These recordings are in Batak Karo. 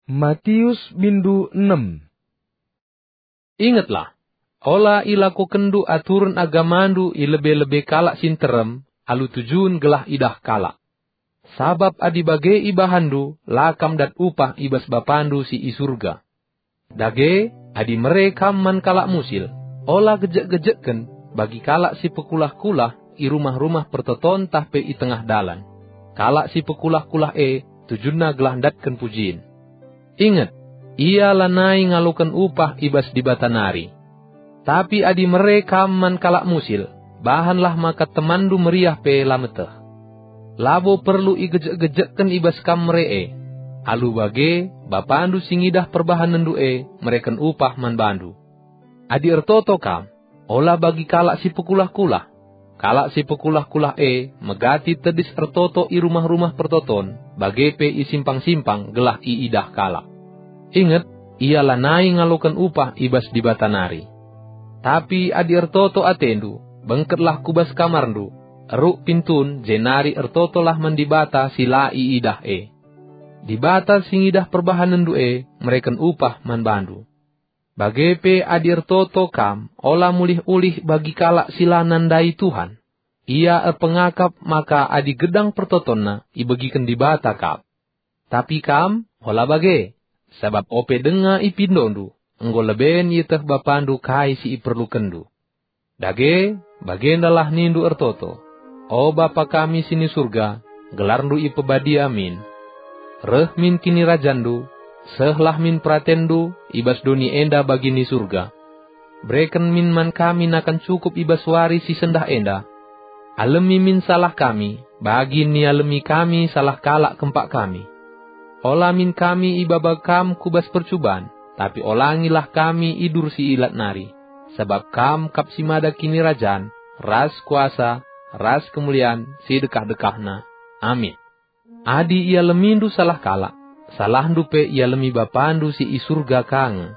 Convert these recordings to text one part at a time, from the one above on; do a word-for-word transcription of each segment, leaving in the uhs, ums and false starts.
Matius bindu enem. Ingetlah, ola ilakokenndu aturen agamandu i lebe-lebe kalak si nterem alu tujun gelah idah kalak. Sabap adi bage ibahanndu, la kam dat upah i bas Bapandu si i Surga. Dage, adi mere kam man kalak musil, ola gejek-gejekken bagi kalak si pekulah-kulah i rumah-rumah pertoton tah pe i tengah dalan. Kalak si pekulah-kulah e tujunna gelah ndatken pujin. Inget, ia lanai ngaloken upah i bas Dibata nari. Tapi adi mere kam man kalak musil, bahanlah maka temanndu meriah pe la meteh. Labo perlu igejek-gejekken i bas kam mere e. Alu bage, Bapandu si ngidah perbahanenndu e mereken upah man bandu. Adi ertoto kam, ola bagi kalak si pekulah-kulah. Kalak si pekulah-kulah e megati tedis ertoto i rumah-rumah pertoton, bage pe i simpang-simpang gelah iidah kalak. Inget, ia lanai ngaloken upah i bas Dibata nari. Tapi adi ertoto atendu, bengketlah ku bas kamarndu, eruk pintun, jenari ertotolah man Dibata si la iidah e. Dibata si ngidah perbahanenndu e mereken upah man bandu. Bage pe adi ertoto kam, ola mulih-ulih bagi kalak si la nandai Tuhan. Ia erpengakap maka adi gedang pertotonna ibegiken Dibata kap. Tapi kam, ola bage, sabap ope denga ipindondu, enggo leben ieteh Bapandu kai si iperlukenndu. Dage, bagendalah nindu ertoto, "O Bapa kami si ni Surga, gelarNdu ipebadia min. Reh min kinirajanNdu, sehlah min peratenndu i bas doni enda bagi ni Surga. Bereken min man kami nakan cukup i bas wari si sendah enda. Alemi min salah kami, bagi nialemi kami salah kalak kempak kami. Ola min kami ibaba Kam ku bas percuban, tapi olangilah kami idur si ilat nari, sabap Kam kap si mada kinirajan, ras kuasa, ras kemulian si dekah-dekahna. Amin." Adi ialemindu salah kalak, salahndu pe ialemi Bapandu si i Surga ka nge.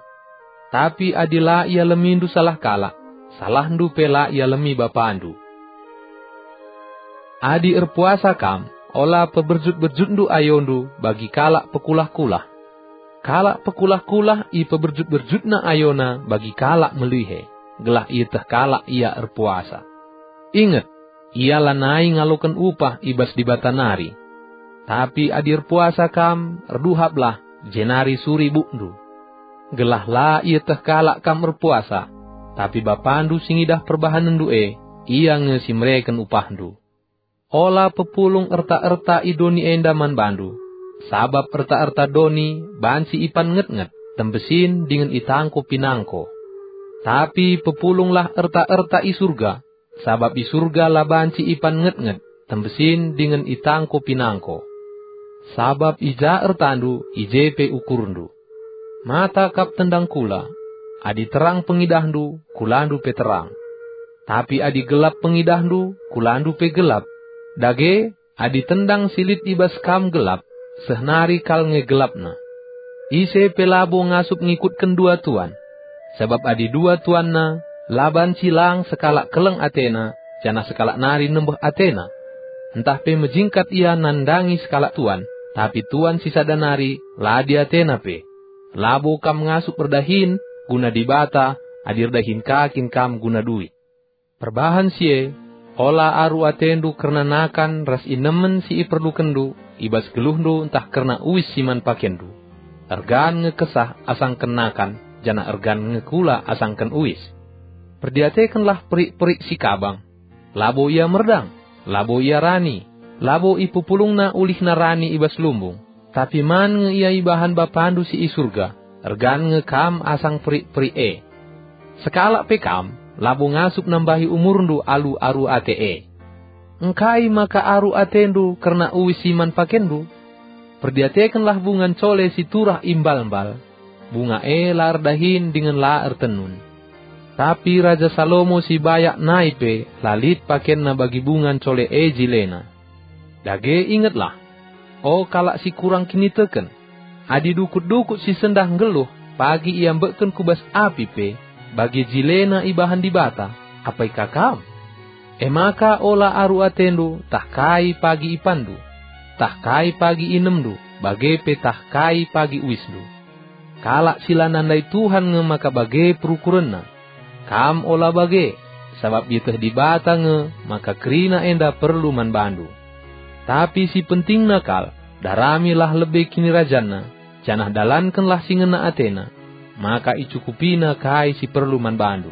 Tapi adi la ialemindu salah kalak, salahndu pe la ialemi Bapandu. Adi erpuasa kam, ola peberjut-berjutndu ayondu bagi kalak pekulah-kulah. Kalak pekulah-kulah ipeberjut-berjutna ayona bagi kalak melihe, gelah ieteh kalak ia erpuasa. Inget, ia lanai ngaloken upah i bas Dibata nari. Tapi adi erpuasa kam, erduhaplah, jenari suri bukndu. Gelah la ieteh kalak kam erpuasa, tapi Bapandu si ngidah perbahanenndu e, ia nge si mereken upahndu. Ola pepulung erta-erta i doni enda man bandu, sabap erta-erta doni banci ipan nget-nget, tembesin dingen itangko pinangko. Tapi pepulunglah erta-erta i Surga, sabap i Surga la banci ipan nget-nget, tembesin dingen itangko pinangko. Sabap i ja ertandu, i je pe ukurndu. Mata kap tendang kula. Adi terang pengidahndu, kulandu pe terang. Tapi adi gelap pengidahndu, kulandu pe gelap. Dage, adi tendang si lit i bas kam gelap, seh nari kal nge gelapna. Ise pe labo ngasup ngikutken dua tuan. Sabap adi dua tuanna, la banci lang sekalak keleng atena, janah sekalak nari nembeh atena. Ntah pe mejingkat ia nandangi sekalak tuan, tapi tuan si sada nari la diatena pe. Labo kam ngasup erdahin guna Dibata adi erdahin ka kin kam guna duit. Perbahan si e, ola aru atendu kerna nakan ras inemen si iperlukenndu i bas geluhndu ntah kerna uis si man pakenndu. Ergan nge kesah asangken nakan, janah ergan nge kula asangken uis. Perdiatekenlah perik-perik si kabang. Labo ia merdang, labo ia rani, labo ipepulungna ulihna rani i bas lumbung, tapi man nge ia ibahan Bapandu si i Surga, ergan nge kam asang perik-perik e. Sekalak pe kam, labo ngasup nambahi umurndu alu aru ate e. Engkai maka aru atendu kerna uis si man pakenndu? Perdiatekenlah bunga ncole si turah i mbal-mbal. Bunga e la erdahin dingen la ertenun. Tapi Raja Salomo si bayak nai pe la lit pakenna bagi bunga ncole e jilena. Dage ingetlah, o kalak si kurang kiniteken, adi dukut-dukut si sendah nggeluh pagi iambekken ku bas api pe, bagi jilena ibahan Dibata, apai ka kam? E maka ola aru atendu tah kai pagi ipanndu, tah kai pagi inemndu, bage pe tah kai pagi uisndu. Kalak si la nandai Tuhan nge maka bage perukurenna. Kam ola bage, sabap ieteh Dibata nge maka kerina enda perlu man bandu. Tapi si pentingna kal, daramilah lebe kinirajanna, janah dalankenlah si ngena atena, maka icukupina kai si perlu man bandu.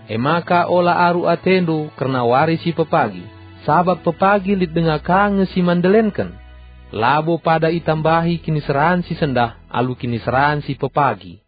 E maka ola aru atendu kerna wari si pepagi, sabap pepagi lit denga ka nge si man ndelenken. Labo pada itambahi kiniseran si sendah alu kiniseran si pepagi.